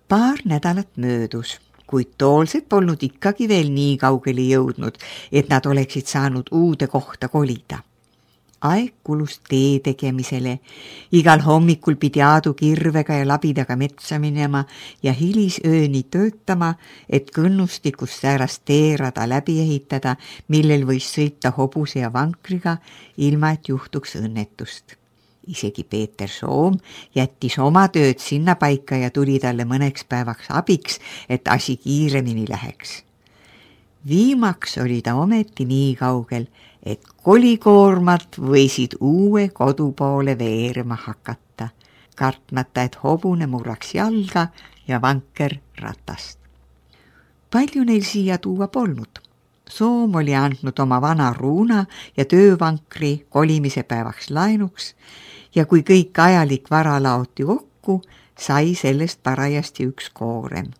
Paar nädalat möödus, kuid toolsed polnud ikkagi veel nii kaugele jõudnud, et nad oleksid saanud uude kohta kolida. Aeg kulus tee tegemisele, igal hommikul pidi Aadu kirvega ja labidaga metsa minema ja hilisööni töötama, et kõnnustikus säärast teerada läbi ehitada, millel võis sõita hobuse ja vankriga, ilma et juhtuks õnnetust. Isegi Peeter Soom jättis oma tööd sinna paika ja tuli talle mõneks päevaks abiks, et asi kiiremini läheks. Viimaks oli ta ometi nii kaugel, et kolikoormat võisid uue kodu poole veerema hakata, kartmata, et hobune murraks jalga ja vanker ratast. Palju neil siia tuua polnud. Soom oli andnud oma vana ruuna ja töövankri kolimise päevaks laenuks ja kui kõik ajalik vara laoti kokku, sai sellest parajasti üks koorem.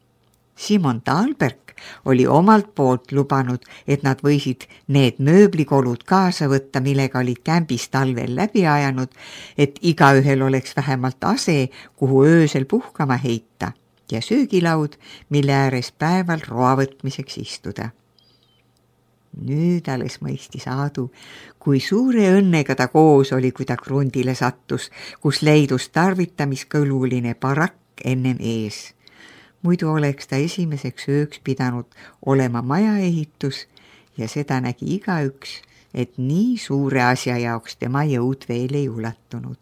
Simon Talberg oli omalt poolt lubanud, et nad võisid need mööblikolud kaasa võtta, millega olid kämbis talvel läbi ajanud, et igaühel oleks vähemalt ase, kuhu öösel puhkama heita ja söögilaud, mille ääres päeval roa võtmiseks istuda. Nüüd alles mõistis Aadu, kui suure õnnega ta koos oli, kui ta krundile sattus, kus leidus tarvitamiskõluline barakk ennem ees. Muidu oleks ta esimeseks ööks pidanud olema majaehitus ja seda nägi igaüks, et nii suure asja jaoks tema jõud veel ei ulatunud.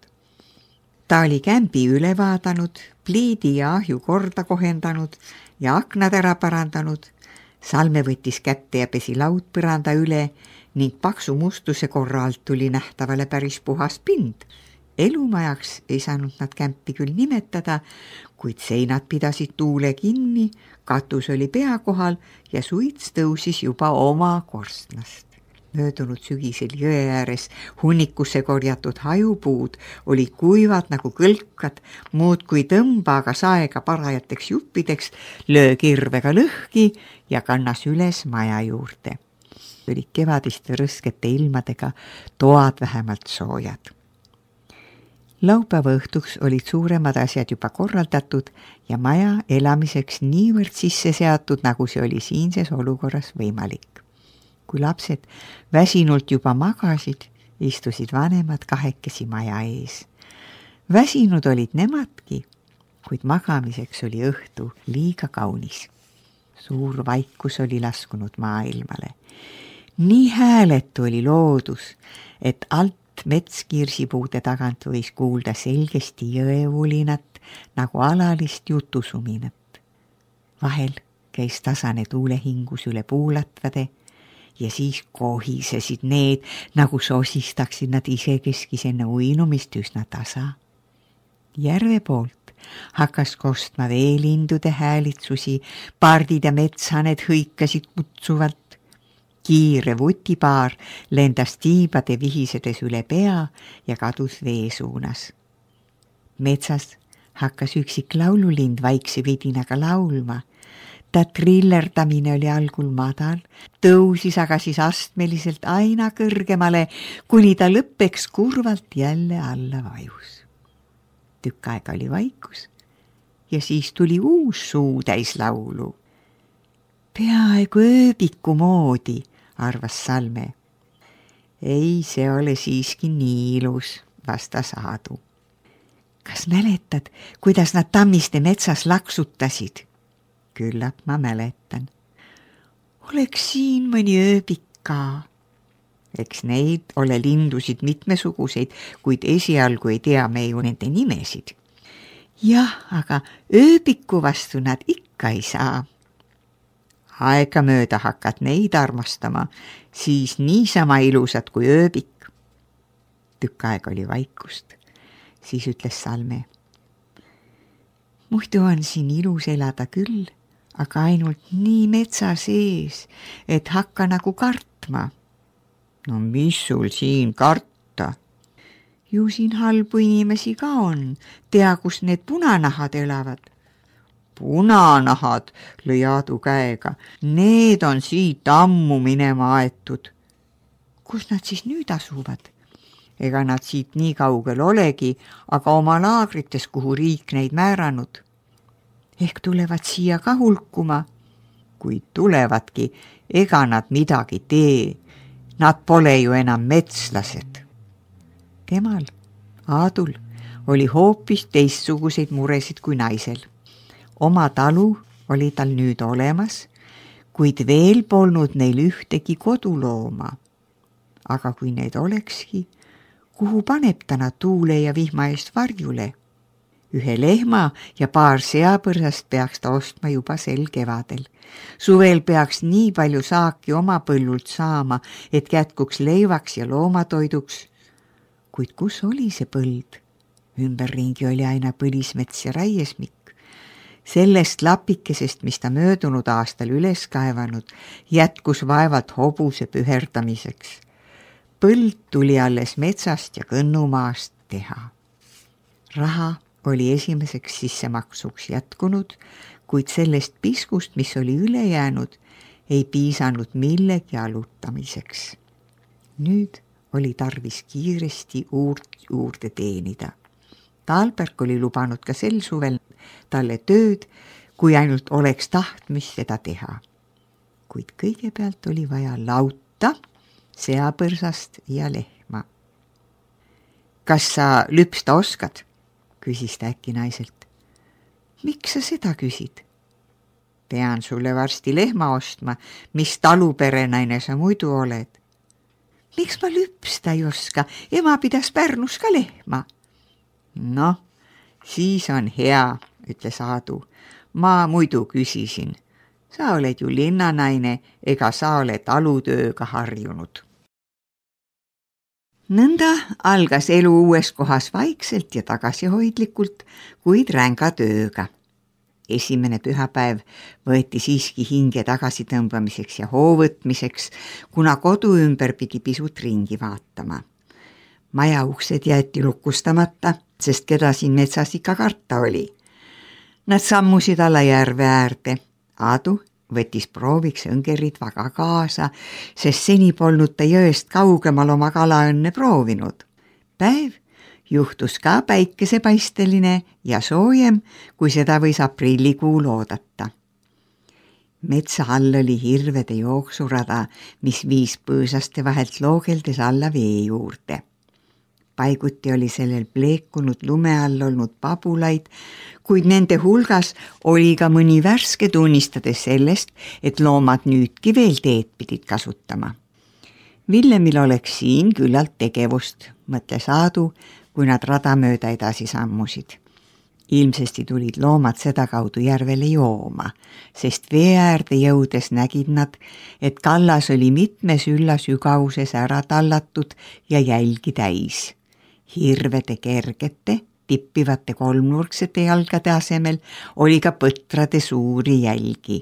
Ta oli kämbi üle vaadanud, pliidi ja ahju korda kohendanud ja aknad ära parandanud. Salme võttis kätte ja pesi laudpõranda üle ning paksu mustuse korral tuli nähtavale päris puhas pind. Elumajaks ei saanud nad kämpi küll nimetada, kuid seinad pidasid tuule kinni, katus oli pea kohal ja suits tõusis juba oma korstnast. Möödunud sügisel jõe ääres hunnikusse korjatud hajupuud olid kuivad nagu kõlkad, muudkui tõmba aga saega parajateks juppideks, löö kirvega lõhki ja kannas üles maja juurde. Olid kevadiste rõskete ilmadega toad vähemalt soojad. Laupäeva õhtuks olid suuremad asjad juba korraldatud ja maja elamiseks niivõrd sisse seatud, nagu see oli siinses olukorras võimalik. Kui lapsed väsinult juba magasid, istusid vanemad kahekesi maja ees. Väsinud olid nemadki, kuid magamiseks oli õhtu liiga kaunis. Suur vaikus oli laskunud maailmale. Nii hääletu oli loodus, et alt metskirsipuude tagant võis kuulda selgesti jõevulinat nagu alalist jutusuminat. Vahel käis tasane tuulehingus üle puulatvade ja siis kohisesid need, nagu sosistaksid nad isekeskis enne uinumist üsna tasa. Järve poolt hakkas kostma veelindude häälitsusi, pardid ja metsaned hõikasid kutsuvalt. Kiire vutipaar lendas tiibade vihisedes üle pea ja kadus vee suunas. Metsas hakkas üksik laululind vaikse vidinaga laulma. Ta trillerdamine oli algul madal, tõusis aga siis astmeliselt aina kõrgemale, kuni ta lõppeks kurvalt jälle alla vajus. Tükk aega oli vaikus ja siis tuli uus suu täis laulu. Peaaegu ööbiku moodi, arvas Salme. Ei, see ole siiski nii ilus, vastas Aadu. Kas mäletad, kuidas nad Tammiste metsas laksutasid? Küllap ma mäletan. Oleks siin mõni ööbik ka. Eks neid ole lindusid mitmesuguseid, kuid esialgu ei tea me ju nende nimesid. Jah, aga ööbiku vastu nad ikka ei saa. Aega mööda hakkad neid armastama, siis niisama ilusad kui ööbik. Tükk aeg oli vaikust, siis ütles Salme. Muidu on siin ilus elada küll, aga ainult nii metsa sees, et hakka nagu kartma. No mis sul siin karta? Ju siin halbu inimesi ka on, tea, kus need punanahad elavad. Punanahad, lõi Aadu käega, need on siit ammu minema aetud. Kus nad siis nüüd asuvad? Ega nad siit nii kaugel olegi, aga oma laagrites, kuhu riik neid määranud. ehk tulevad siia ka hulkuma. Kui tulevadki, ega nad midagi tee. Nad pole ju enam metslased. Temal, Aadul, oli hoopis teistsuguseid muresid kui naisel. Oma talu oli tal nüüd olemas, kuid veel polnud neil ühtegi kodulooma. Aga kui need olekski, kuhu paneb ta nad tuule ja vihma eest varjule? Ühe lehma ja paar seapõrsast peaks ta ostma juba sel kevadel. Suvel peaks nii palju saaki oma põllult saama, et jätkuks leivaks ja loomatoiduks. Kuid kus oli see põld? Ümberringi oli aina põlismets ja raiesmik. Sellest lapikesest, mis ta möödunud aastal üles kaevanud, jätkus vaevalt hobuse püherdamiseks. Põld tuli alles metsast ja kõnnumaast teha. Raha oli esimeseks sissemaksuks jätkunud, kuid sellest piskust, mis oli üle jäänud, ei piisanud millegi alutamiseks. Nüüd oli tarvis kiiresti juurde teenida. Talberg oli lubanud ka sel suvel talle tööd, kui ainult oleks tahtmist seda teha. Kuid kõigepealt oli vaja lauta, seapõrsast ja lehma. Kas sa lüpsta oskad? Küsis ta äkki naiselt. Miks sa seda küsid? Pean sulle varsti lehma ostma, mis taluperenaine sa muidu oled. Miks ma lüpsta ei oska? Ema pidas Pärnus ka lehma. Noh, siis on hea, ütles Aadu. Ma muidu küsisin. Sa oled ju linnanaine, ega sa ole talutööga harjunud. Nõnda algas elu uues kohas vaikselt ja tagasihoidlikult, kuid ränga tööga. Esimene pühapäev võeti siiski hinge tagasitõmbamiseks ja hoovõtmiseks, kuna kodu ümber pidi pisut ringi vaatama. Maja uksed jäeti lukustamata, sest keda siin metsas ikka karta oli. Nad sammusid alla järve äärde. Aadu võttis prooviks õngerid vaga kaasa, sest seni polnud ta jõest kaugemal oma kalaõnne proovinud. Päev juhtus ka päikesepaisteline ja soojem, kui seda võis aprillikuul oodata. Metsa all oli hirvede jooksurada, mis viis põõsaste vahelt loogeldes alla vee juurde. Paiguti oli sellel pleekunud lume all olnud pabulaid, kuid nende hulgas oli ka mõni värske tunnistades sellest, et loomad nüüdki veel teed pidid kasutama. Villemil oleks siin küllalt tegevust, mõtles Aadu, kui nad rada mööda edasi sammusid. Ilmsesti tulid loomad sedakaudu järvele jooma, sest vee äärde jõudes nägid nad, et kallas oli mitme sülla sügavuses ära tallatud ja jälgi täis. Hirvede kergete, tippivate kolmnurksete jalgade asemel oli ka põtrade suuri jälgi.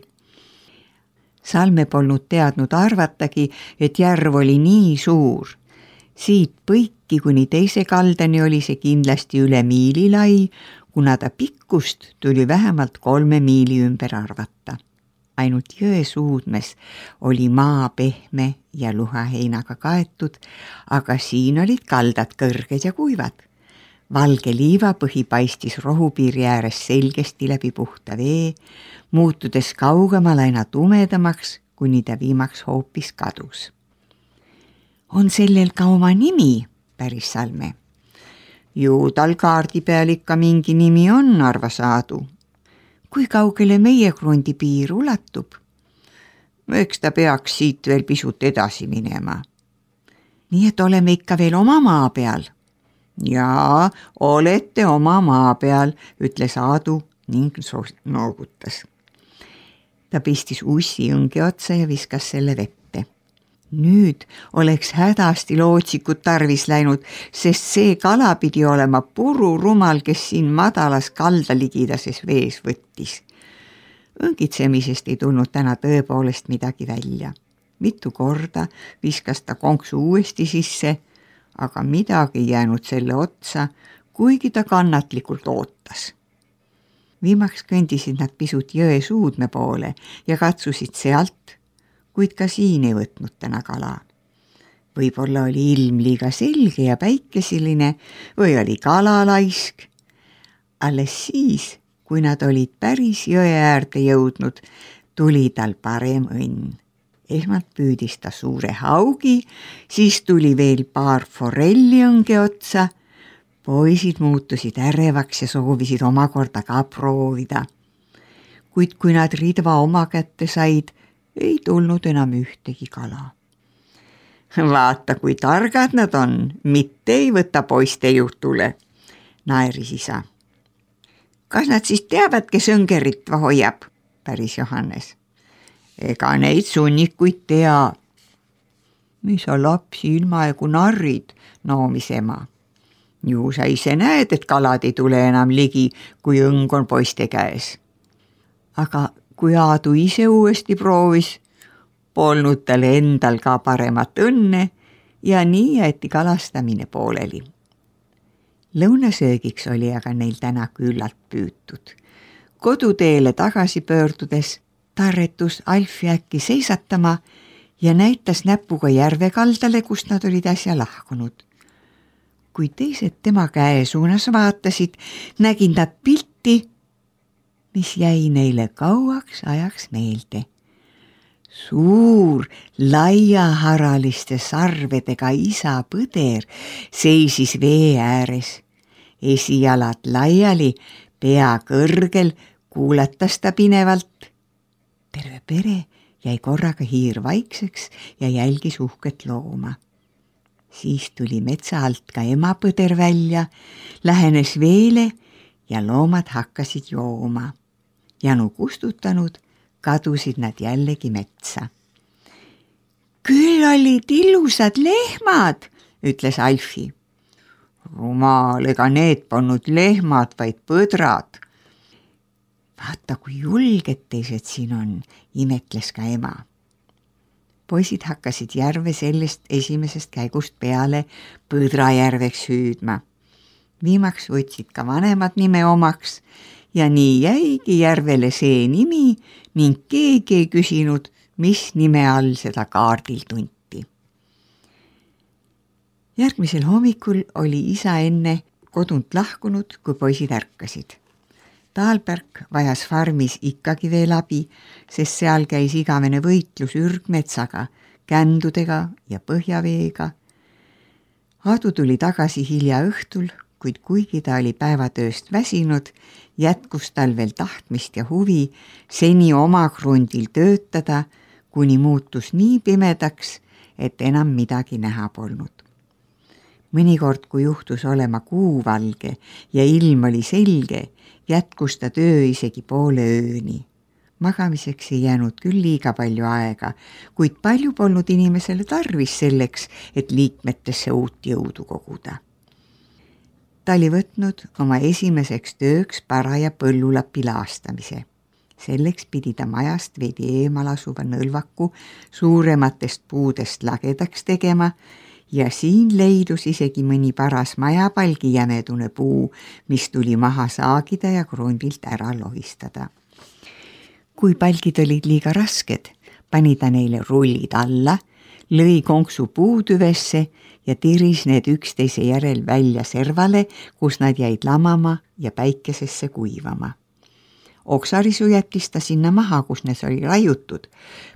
Salme polnud teadnud arvatagi, et järv oli nii suur. Siit põiki kuni teise kaldani oli see kindlasti üle miili lai, kuna ta pikkust tuli vähemalt 3 miili ümber arvata. Ainult jõe suudmes oli maa pehme ja luhaheinaga kaetud, aga siin olid kaldad kõrged ja kuivad. Valge liivapõhi paistis rohupiiri ääres selgesti läbi puhta vee, muutudes kaugemal aina tumedamaks, kuni ta viimaks hoopis kadus. On sellel ka oma nimi, päris Salme. Ju tal kaardi peal ikka mingi nimi on, arvas Aadu. Kui kaugele meie krundi piir ulatub? Eks ta peaks siit veel pisut edasi minema. Nii et oleme ikka veel oma maa peal. Jaa, olete oma maa peal, ütles Aadu ning noogutas. Ta pistis ussi õnge otsa ja viskas selle vette. Nüüd oleks hädasti lootsikut tarvis läinud, sest see kala pidi olema pururumal, kes siin madalas kaldaligidases vees võttis. Õngitsemisest ei tulnud täna tõepoolest midagi välja. Mitu korda viskas ta konksu uuesti sisse, aga midagi ei jäänud selle otsa, kuigi ta kannatlikult ootas. Viimaks kõndisid nad pisut jõe suudme poole ja katsusid sealt, kuid ka siin ei võtnud täna kala. Võib-olla oli ilm liiga selge ja päikesiline või oli kala laisk. Alles siis Kui nad olid päris jõe äärde jõudnud, tuli tal parem õnn. Esmalt püüdis ta suure haugi, siis tuli veel paar forelliõnge otsa. Poisid muutusid ärevaks ja soovisid omakorda ka proovida. Kuid kui nad ridva oma kätte said, ei tulnud enam ühtegi kala. Vaata, kui targad nad on, mitte ei võta poiste jutule, naeris isa. Kas nad siis teavad, kes õnge ritva hoiab, päris Johannes. Ega neid sunnikuid tea. Mis sa lapsi ilmaegu narrid, noomis ema. Ju sa ise näed, et kalad ei tule enam ligi, kui õng on poiste käes. Aga kui Aadu ise uuesti proovis, polnud tal endal ka paremat õnne ja nii jäeti kalastamine pooleli. Lõunasöögiks oli aga neil täna küllalt püütud. Koduteele tagasi pöördudes tarretus Alfi äkki seisatama ja näitas näpuga järve kaldale, kust nad olid äsja lahkunud. Kui teised tema käe suunas vaatasid, nägid nad pilti, mis jäi neile kauaks ajaks meelde. Suur, laiaharaliste sarvedega isa põder seisis vee ääres. Esijalad laiali, pea kõrgel, kuulatas ta pinevalt. Terve pere jäi korraga hiir vaikseks ja jälgis uhket looma. Siis tuli metsa alt ka emapõder välja, lähenes veele ja loomad hakkasid jooma. Janu kustutanud, kadusid nad jällegi metsa. Küll olid ilusad lehmad, ütles Alfi. Rumal, ega need polnud lehmad, vaid põdrad. Vaata, kui julged teised siin on, imetles ka ema. Poisid hakkasid järve sellest esimesest käigust peale Põdrajärveks hüüdma. Viimaks võtsid ka vanemad nime omaks ja nii jäigi järvele see nimi ning keegi ei küsinud, mis nime all seda kaardil tunti. Järgmisel hommikul oli isa enne kodunt lahkunud, kui poisid ärkasid. Taalberg vajas farmis ikkagi veel abi, sest seal käis igavene võitlus ürgmetsaga, kändudega ja põhjaveega. Aadu tuli tagasi hilja õhtul, kuid kuigi ta oli päevatööst väsinud, jätkus tal veel tahtmist ja huvi seni oma krundil töötada, kuni muutus nii pimedaks, et enam midagi näha polnud. Mõnikord, kui juhtus olema kuuvalge ja ilm oli selge, jätkus ta töö isegi poole ööni. Magamiseks ei jäänud küll liiga palju aega, kuid palju polnud inimesele tarvis selleks, et liikmetesse uut jõudu koguda. Ta oli võtnud oma esimeseks tööks paraja põllulapi laastamise. Selleks pidi ta majast veidi eemal asuva nõlvaku suurematest puudest lagedaks tegema ja siin leidus isegi mõni paras majapalgi jämedune puu, mis tuli maha saagida ja krundilt ära lohistada. Kui palgid olid liiga rasked, pani ta neile rullid alla, lõi konksu puutüvesse ja tiris need üksteise järel välja servale, kus nad jäid lamama ja päikesesse kuivama. Oksarisu jättis ta sinna maha, kus need oli raiutud.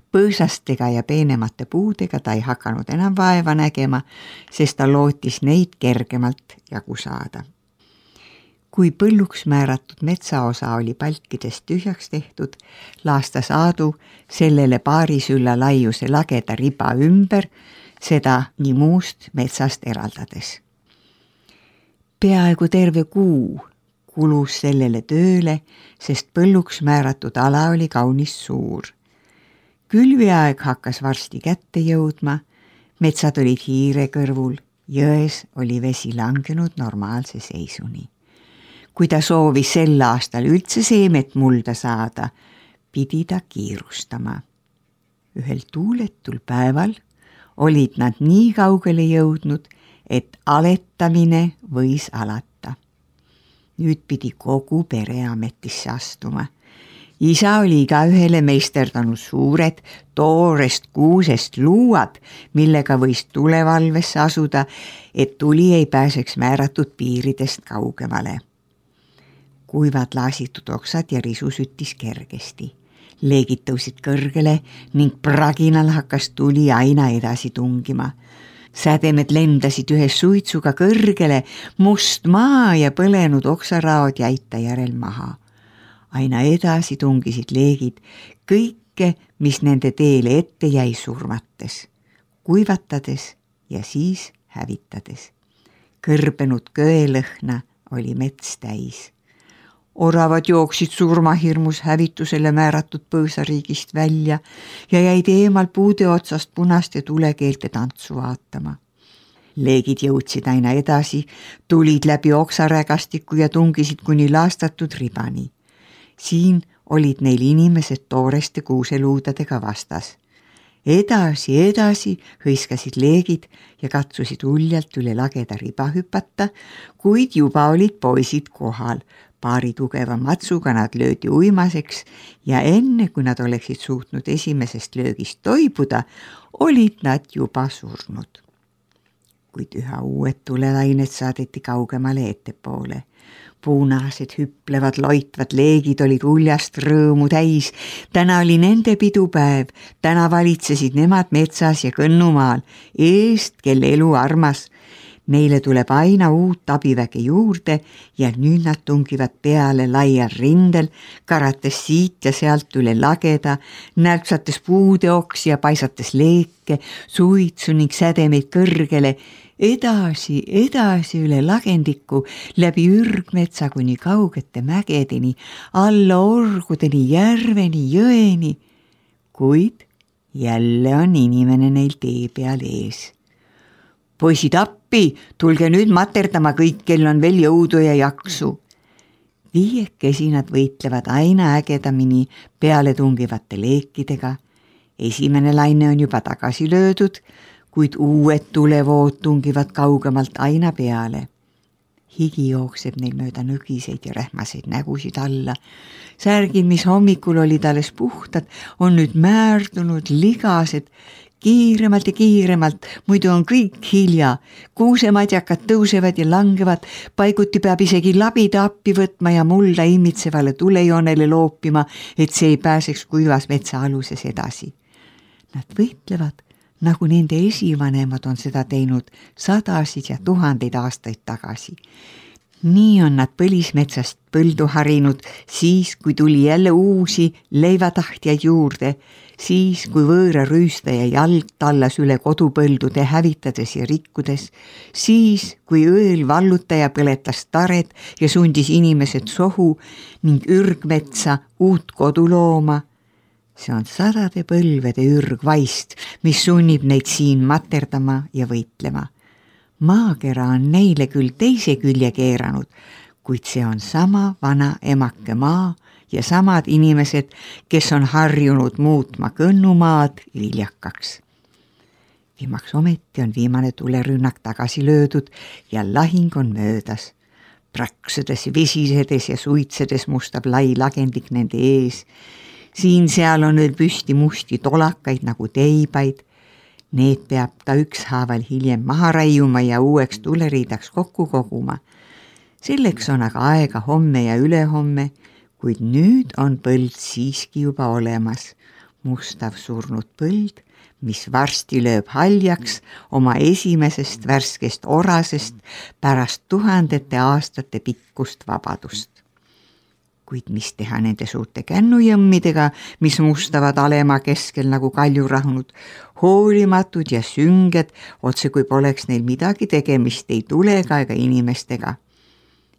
Põõsastega ja peenemate puudega ta ei hakanud enam vaeva nägema, sest ta lootis neid kergemalt jagu saada. Kui põlluks määratud metsaosa oli palkidest tühjaks tehtud, laastas Aadu sellele paari sülla laiuse lageda riba ümber, seda nii muust metsast eraldades. Peaaegu terve kuu kulus sellele tööle, sest põlluks määratud ala oli kaunis suur. Külviaeg hakkas varsti kätte jõudma, metsad olid hiire kõrvul, jões oli vesi langenud normaalse seisuni. Kui ta soovis sel aastal üldse seemet mulda saada, pidi ta kiirustama. Ühel tuuletul päeval olid nad nii kaugele jõudnud, et aletamine võis alata. Nüüd pidi kogu pere ametisse astuma. Isa oli ka ühele meisterdanud suured toorest kuusest luuad, millega võis tulevalvesse asuda, et tuli ei pääseks määratud piiridest kaugemale. kuivad laasitud oksad ja risu süttis kergesti. Leegid tõusid kõrgele ning praginal hakkas tuli aina edasi tungima. Sädemed lendasid ühe suitsuga kõrgele, must maa ja põlenud oksaraod jäid ta järel maha. Aina edasi tungisid leegid kõike, mis nende teele ette jäi surmates, kuivatades ja siis hävitades. Kõrbenud köelõhna oli mets täis. Oravad jooksid surmahirmus hävitusele määratud põõsariigist välja ja jäid eemal puude otsast punaste tulekeelte tantsu vaatama. Leegid jõudsid aina edasi, tulid läbi oksarägastiku ja tungisid kuni laastatud ribani. Siin olid neil inimesed tooreste kuuseluudadega vastas. Edasi hõiskasid leegid ja katsusid uljalt üle lageda riba hüpata, kuid juba olid poisid kohal. Paari tugeva matsuga nad löödi uimaseks ja enne, kui nad oleksid suutnud esimesest löögist toibuda, olid nad juba surnud. Kuid üha uued tulelained saadeti kaugemale ettepoole. Punased, hüplevad, loitvad leegid olid uljast rõõmu täis. Täna oli nende pidupäev, täna valitsesid nemad metsas ja kõnnumaal, eest, kelle elu armas. Neile tuleb aina uut abiväge juurde ja nüüd nad tungivad peale laial rindel, karates siit ja sealt üle lageda, nälpsates puude oksi ja paisates leeke, suitsu ning sädemeid kõrgele, edasi üle lagendiku, läbi ürgmetsa kuni kaugete mägedeni, alla orgudeni, järveni, jõeni. Kuid jälle on inimene neil tee peal ees. Poisid appi, tulge nüüd materdama kõik, kel on veel jõudu ja jaksu. Viiekesi nad võitlevad aina ägedamini peale tungivate leekidega. Esimene laine on juba tagasi löödud, kuid uued tulevood tungivad kaugemalt aina peale. Higi jookseb neil mööda nõgiseid ja rähmaseid nägusid alla. Särgid, mis hommikul olid alles puhtad, on nüüd määrdunud, ligased, kiiremalt ja kiiremalt, muidu on kõik hilja. Kuusemadjakad tõusevad ja langevad, paiguti peab isegi labida appi võtma ja mulda imitsevale tulejoonele loopima, et see ei pääseks kuivas metsa aluses edasi. Nad võitlevad, nagu nende esivanemad on seda teinud sadasid ja tuhandeid aastaid tagasi. Nii on nad põlismetsast põldu harinud, siis kui tuli jälle uusi leivatahtjaid juurde, siis kui võõra rüüstaja jalg tallas üle kodupõldude hävitades ja rikkudes, siis kui õel vallutaja põletas tared ja sundis inimesed sohu ning ürgmetsa uut kodu looma. See on sadade põlvede ürgvaist, mis sunnib neid siin materdama ja võitlema. Maakera on neile küll teise külje keeranud, kuid see on sama vana emake maa ja samad inimesed, kes on harjunud muutma kõnnumaad viljakaks. Viimaks ometi on viimane tulerünnak tagasi löödud ja lahing on möödas. Praksudes, visisedes ja suitsedes mustab lai lagendik nende ees. Siin-seal on veel püsti musti tolakaid nagu teibaid. Need peab ta ükshaaval hiljem maha raiuma ja uueks tuleriidaks kokku koguma. Selleks on aga aega homme ja ülehomme, kuid nüüd on põld siiski juba olemas. Mustav surnud põld, mis varsti lööb haljaks oma esimesest värskest orasest pärast tuhandete aastate pikkust vabadust. Kuid mis teha nende suurte kännujõmmidega, mis mustavad alema keskel nagu kaljurahnud, hoolimatud ja sünged, otse kui poleks neil midagi tegemist ei tulega ega inimestega.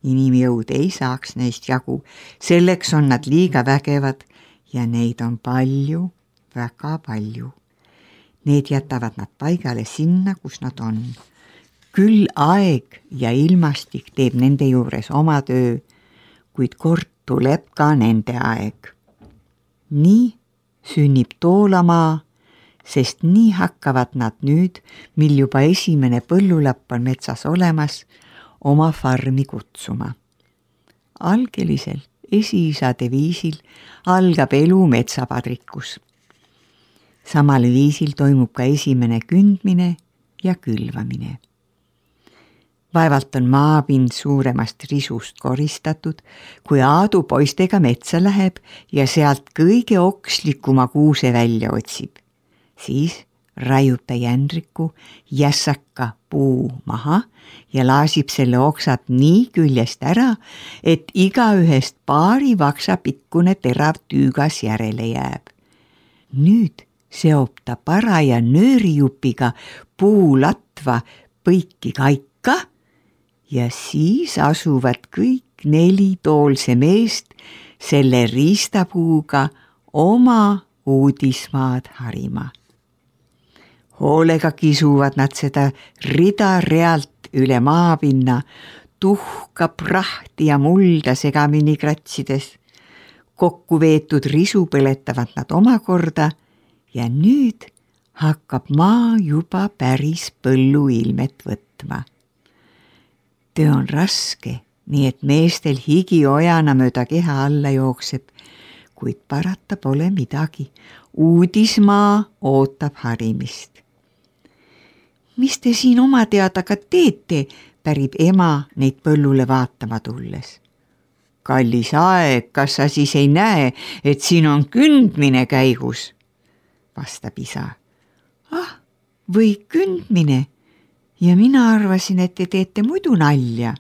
Inimjõud ei saaks neist jagu, selleks on nad liiga vägevad ja neid on palju, väga palju. Need jätavad nad paigale sinna, kus nad on. Küll aeg ja ilmastik teeb nende juures oma töö, kuid kord tuleb ka nende aeg. Nii sünnib toolamaa, sest nii hakkavad nad nüüd, mil juba esimene põllulapp on metsas olemas, oma farmi kutsuma. Algelisel esiisade viisil algab elu metsapadrikus. Samal viisil toimub ka esimene kündmine ja külvamine. Vaevalt on maapind suuremast risust koristatud, kui Aadu poistega metsa läheb ja sealt kõige okslikuma kuuse välja otsib. Siis raiub ta jändriku jässaka puu maha ja laasib selle oksad nii küljest ära, et igaühest paari vaksa pikkune terav tüügas järele jääb. Nüüd seob ta paraja nöörijupiga puulatva põiki kaika ja siis asuvad kõik 4 toolse meest selle riistapuuga oma uudismaad harima. Hoolega kisuvad nad seda rida-realt üle maapinna, tuhka, prahti ja mulda segamini kratsides. Kokku veetud risu põletavad nad omakorda ja nüüd hakkab maa juba päris põlluilmet võtma. Töö on raske, nii et meestel higi ojana mööda keha alla jookseb, kuid parata pole midagi. Uudismaa ootab harimist. Mis te siin oma teada ka teete, pärib ema neid põllule vaatama tulles. Kallis aeg, kas sa siis ei näe, et siin on kündmine käigus? Vastab isa. Või kündmine? Ja mina arvasin, et te teete muidu nalja.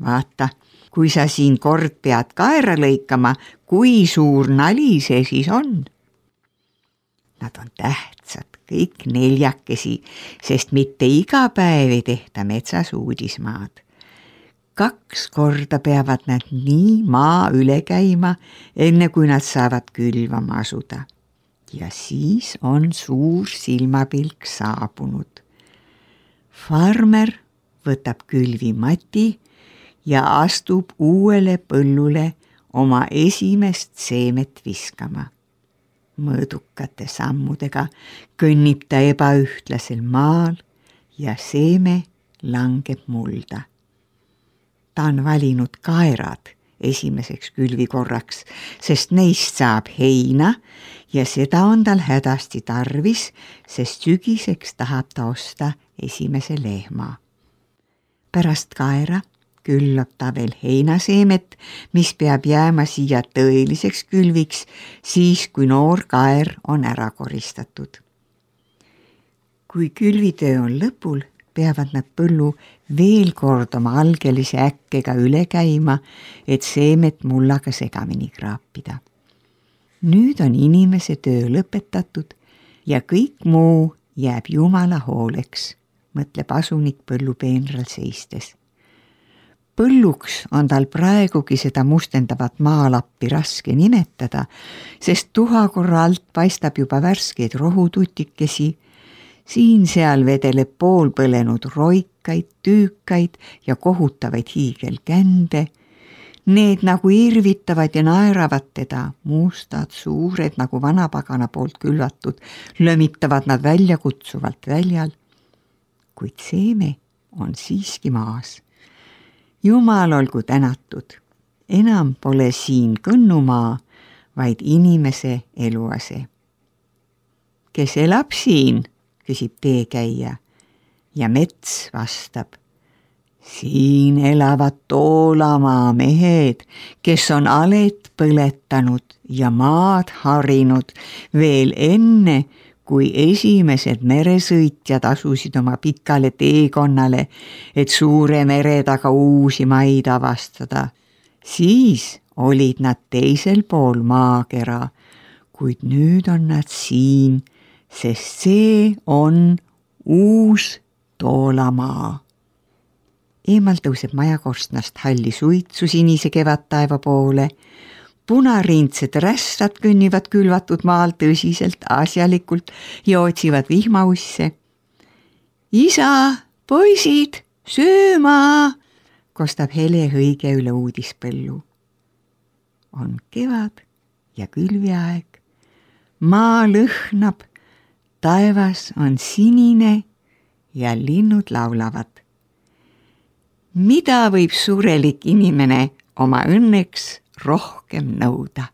Vaata, kui sa siin kord pead kaera lõikama, kui suur nali see siis on? Nad on tähtsad, kõik 4, sest mitte iga päev ei tehta metsas uudismaad. 2 korda peavad nad nii maa üle käima, enne kui nad saavad külvama asuda. Ja siis on suur silmapilk saabunud. Farmer võtab külvimati ja astub uuele põllule oma esimest seemet viskama. Mõõdukate sammudega kõnnib ta ebaühtlasel maal ja seeme langeb mulda. Ta on valinud kaerad esimeseks külvikorraks, sest neist saab heina ja seda on tal hädasti tarvis, sest sügiseks tahab ta osta esimese lehma. Pärast kaera küllab ta veel heinaseemet, mis peab jääma siia tõeliseks külviks, siis kui noor kaer on ära koristatud. Kui külvitöö on lõpul, peavad nad põllu veel kord oma algelise äkkega üle käima, et seemet mullaga segamini kraapida. Nüüd on inimese töö lõpetatud ja kõik muu jääb Jumala hooleks, mõtleb asunik põllupeenral seistes. Põlluks on tal praegugi seda mustendavat maalappi raske nimetada, sest tuhakorra alt paistab juba värskeid rohututikesi, siin-seal vedeleb poolpõlenud roikaid, tüükaid ja kohutavaid hiigelkände. Need nagu irvitavad ja naeravad teda, mustad, suured nagu vanapagana poolt külvatud, lömitavad nad välja kutsuvalt väljal. Kuid seeme on siiski maas. Jumal olgu tänatud, enam pole siin kõnnumaa, vaid inimese eluase. Kes elab siin, küsib teekäija ja mets vastab. Siin elavad Toolamaa mehed, kes on alet põletanud ja maad harinud veel enne, kui esimesed meresõitjad asusid oma pikale teekonnale, et suure mere taga uusi maid avastada. Siis olid nad teisel pool maakera, kuid nüüd on nad siin, sest see on uus Toolamaa. Eemal tõuseb majakorstnast halli suitsu sinise kevadtaeva poole. Punariindsed rässad kõnnivad külvatud maal tõsiselt, asjalikult ja otsivad vihmausse. Isa, poisid, sööma, kostab hele hõige üle uudispõllu. On kevad ja külviaeg. Maa lõhnab, taevas on sinine ja linnud laulavad. Mida võib surelik inimene oma õnneks rohkem nõuda?